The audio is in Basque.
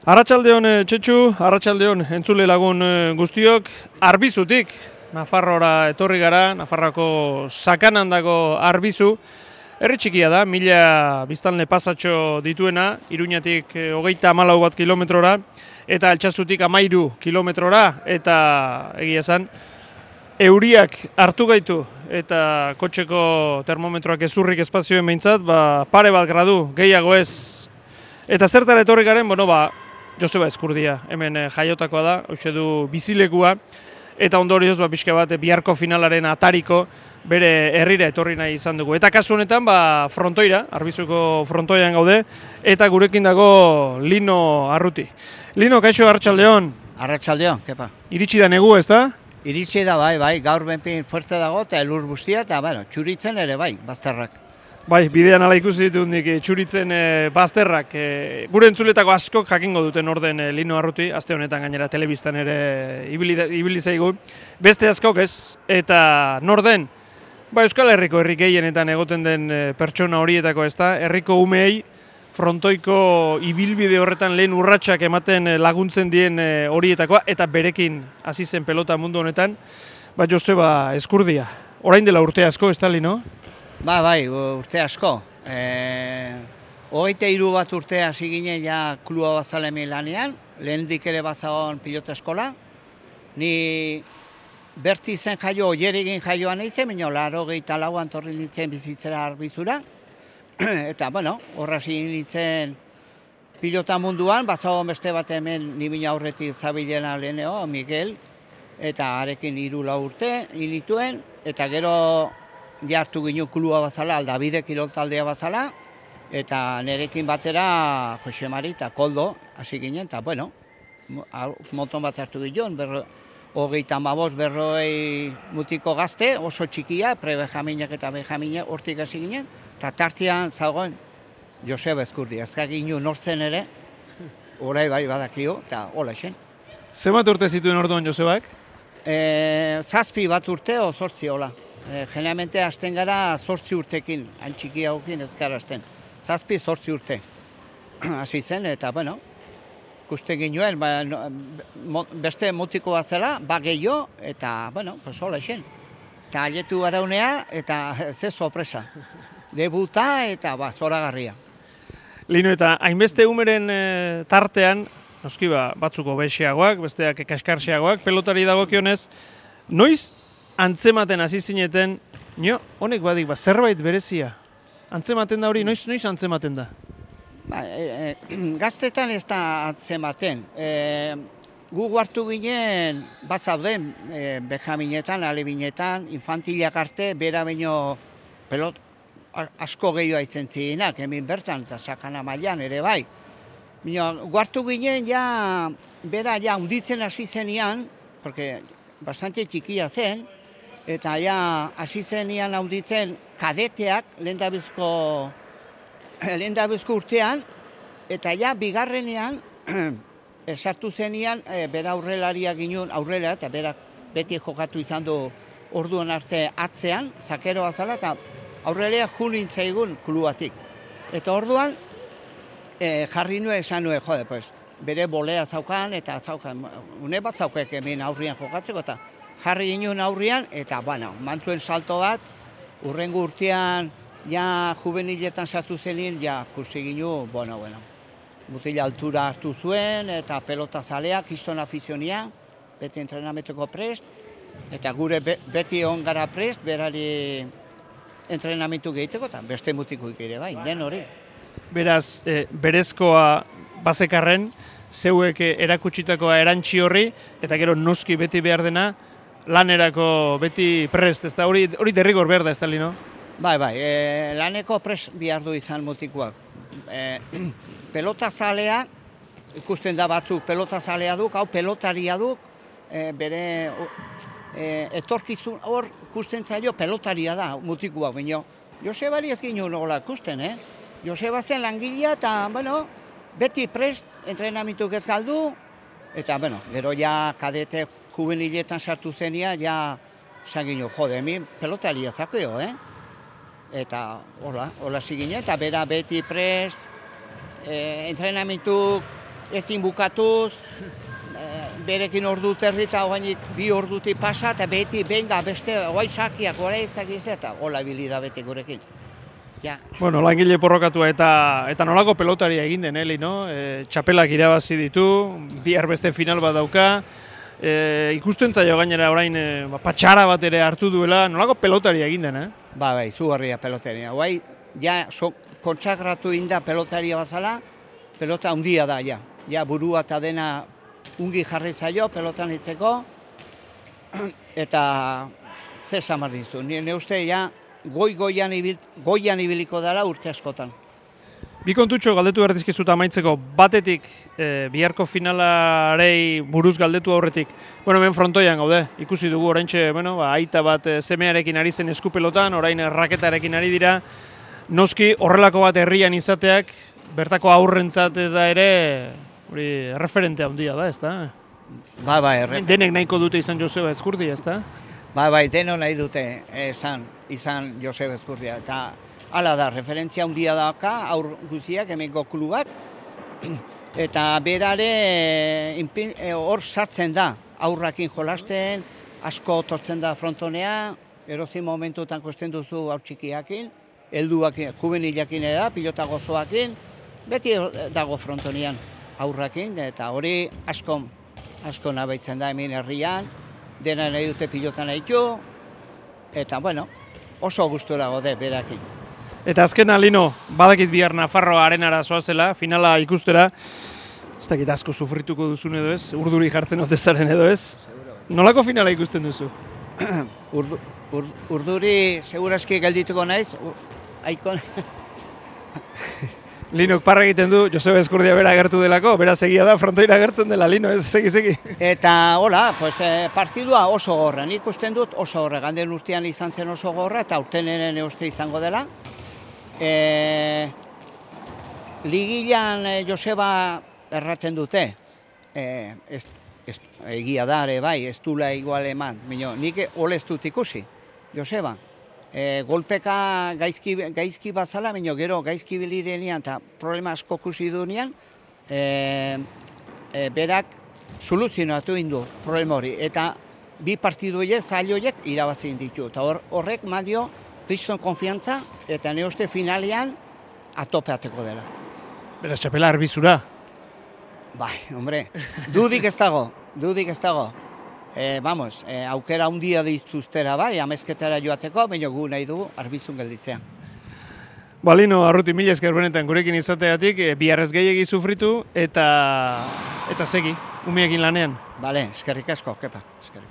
Arratsaldeon Txetxu, arratsaldeon entzule lagun guztiok, Arbizutik, Nafarroara etorri gara, Nafarroako sakanan dago Arbizu. Herri txikia da, 1000 biztanle pasatxo dituena, Iruñatik 34 bat kilometrora, eta Altsazutik 13 kilometrora, eta egia esan, euriak hartu gaitu, eta kotxeko termometroak ezurrik espazioen behintzat, pare bat gradu, gehiago ez. Eta zertara etorri garen, Joseba Ezkurdia, hemen jaiotakoa da, hoxe du bizilekua, eta ondorioz pixka bat biharko finalaren atariko bere herrira etorri nahi izan dugu. Eta kasu honetan frontoira, Arbizuko frontoian gaude, eta gurekin dago Lino Arruti. Lino, kaixo, arratsaldeon. Arratsaldeon, kepa. Iritsi da negu, ez da? Iritsi da bai, gaur benpin fuerte dago eta elur guztia, eta txuritzen ere bai, bazterrak. Bai, bidean ala ikusi ditut txuritzen bazterrak. Gure entzuletako askok jakingo duten orden Lino Arruti, aste honetan gainera telebistan ere ibili zaigu. Beste askok ez, eta nor den, Euskal Herriko herri gehienetan egoten den pertsona horietako ez da, herriko umeei frontoiko ibilbide horretan lehen urratsak ematen laguntzen dien horietakoa, eta berekin hasi zen pelota mundu honetan, Joseba Ezkurdia. Orain dela urte asko, ez da, Lino? Bai, urte asko. 23 bat urte hasi ginen ja klua bazalemi lanean, lehendik ere bazagon pilota eskola. Ni berti zen jaio, oieregin jaioan eitzen, baina 84an torri nintzen bizitzera Arbizura. Eta, horra hasi nintzen pilota munduan, bazagon beste bat hemen nibina aurretik zabilena leheneo, Miguel, eta arekin 3-4 urte inituen, eta gero jartu ginen klua bazala, Aldabide kiroltaldea bazala, eta nerekin batera Jose Mari eta Koldo hasi ginen, eta moton bat hartu ginen, 35 berroi mutiko gazte, oso txikia, pre-benjaminak eta benjaminak hortik hasi ginen, eta tartean zagoen Joseba Ezkurdia, ezka ginen nortzen ere, orai bai badakio, eta hola esen. Zenbat urte zituen orduan Josebak? 7 bat urte o 8 hola. Generalmente hasten gara 8 urtekin, hain txiki haukin ez gara hasten. 7-8 urte hasi zen, eta ikuste ginuen, beste mutiko bat zela, gehiago, eta hola esen. Eta aletu araunea, eta ze sorpresa. Debuta eta zoragarria. Lino, eta hainbeste umeren tartean, noski batzuko bexeagoak, besteak kaskarxeagoak, pelotari dagokionez, noiz antzematen hasi zineten, honek badik, zerbait berezia. Antzematen da hori, noiz antzematen da? Gaztetan ez da antzematen. Gu hartu ginen, zauden, benjaminetan, alebinetan, infantilak arte, bera baino pelot asko gehiago aitzen zirenak, hemen bertan, eta sakana mailan ere bai. Gu hartu ginen, bera unditzen hasi zenian, porque bastante txikia zen, eta hasi zenian handitzen kadeteak lehendabizko urtean, eta bigarrenean sartu zenian bera aurrelaria ginen aurrela, eta berak beti jokatu izan du orduan arte atzean, zakeroa zala, eta aurrelea julintzaigun kluatik. Eta orduan jarri nuen esan nuen, bere bolea zaukan, eta une bat zaukek hemen aurrian jokatzeko, eta jarri ginen aurrian, eta mantzuen salto bat, urrengo urtean, juveniletan sartu zenin, kusi ginen, mutila altura hartu zuen, eta pelota zalea, kiston afizionia, beti entrenametuko prest, eta gure beti on gara prest, berari entrenamentu gehiteko, eta beste mutikoik ere bai, den hori. Beraz, berezkoa bazekarren, zeuek erakutsitakoa erantzi horri, eta gero noski beti behar dena, lanerako beti prest, ez da hori derrigor behar da, ez da, Lino? Bai, laneko prest behar du izan mutikoak. Pelota zalea, ikusten da batzuk pelota zalea duk, hau pelotaria duk, bere etorkizun hor ikusten zailo pelotaria da mutikoak, baina Josebari ez ginen hola ikusten, Joseba zen langilea eta, beti prest entrenamentuk ez galdu, eta, gero kadete juveniletan sartu zenia, esan ginen, hemen pelotaria zakeo, Eta hola zigine, eta bera beti prest, entrenamentuk ezin bukatuz, berekin ordu terdi eta oainik 2 ordutik pasa, eta beti benga beste oai sakiak horreizak eta hola bilida beti gurekin. Ja. Bueno, langile porrokatua eta nolako pelotaria egin den, Eli, no? Txapelak irabazi ditu, bihar beste final bat dauka, ikusten zaio gainera orain patxara bat ere hartu duela, nolako pelotaria egin den, Bai, zugarria pelotaria. Guai, ja, kontsagratu inda pelotaria bazala, pelota handia da, ja. Ja, burua eta dena ungi jarri zaio, pelotan hitzeko, eta ze samar dizu. Ne uste, ja, goian ibiliko dela urte askotan. Bi kontutxo galdetu behar dizkizut amaitzeko, batetik biharko finalarei buruz galdetu aurretik. Bueno, hemen frontoian gaude, ikusi dugu oraintxe, bueno, aita bat semearekin ari zen eskupelotan, orain raketarekin ari dira. Noski horrelako bat herrian izateak, bertako aurrentzat eta ere, hori referente handia da, ezta? Bai, denek nahiko dute izan Joseba Ezkurdia, ezta? Bai, deno nahi dute izan Joseba Ezkurdia. Eta hala da, referentzia handia daka, aur guziak, hemengo klubak, eta berare hor sartzen da, aurrakin jolasten, asko tortzen da frontonea, erozin momentutan kosten duzu aur txikiakin, helduakin, juvenilakin da, pilota gozoakin, beti dago frontonean aurrakin, eta hori asko nabaitzen da hemen herrian, dena nahi dute pilotan nahitu, eta bueno, oso gustura gode berakin. Eta azkena, Lino, badakit bihar Nafarroa arenara zoazela, finala ikustera, ez dakit asko sufrituko duzun edo ez, urduri jartzen otezaren edo ez. Nolako finala ikusten duzu? Urduri seguraski geldituko naiz, aikon. Linok parra egiten du, Joseba Ezkurdia bera agertu delako, bera segia da, frontoira agertzen dela, Lino, ez, segi. Eta, hola, pues, partidua oso gorra, nik usten dut oso gorra, ganden urtean izan zen oso gorra, eta urtenen uste izango dela. Ligilan Joseba erraten dute, egia da, bai, ez dula igual eman, nik olez dut ikusi, Joseba. Golpeka gaizki bazala, gero gaizki bilidenean eta problema asko kusi duenean, berak soluzionatu indu problema hori. Eta bi partiduiek, zailoiek irabazin ditu. Eta horrek madio kriston konfiantza eta ne uste finalean atopeateko dela. Beraz, txapela arbizura. Bai, hombre, dudik ez dago. Aukera handia dituztera bai, amezketara joateko, baina gu nahi dugu arbizun gelditzean. Lino, Arruti, mila esker benetan gurekin izateatik, biharrez gehiegi sufritu eta segi, umiekin lanean. Bale, eskerrik asko, kepa, eskerrik.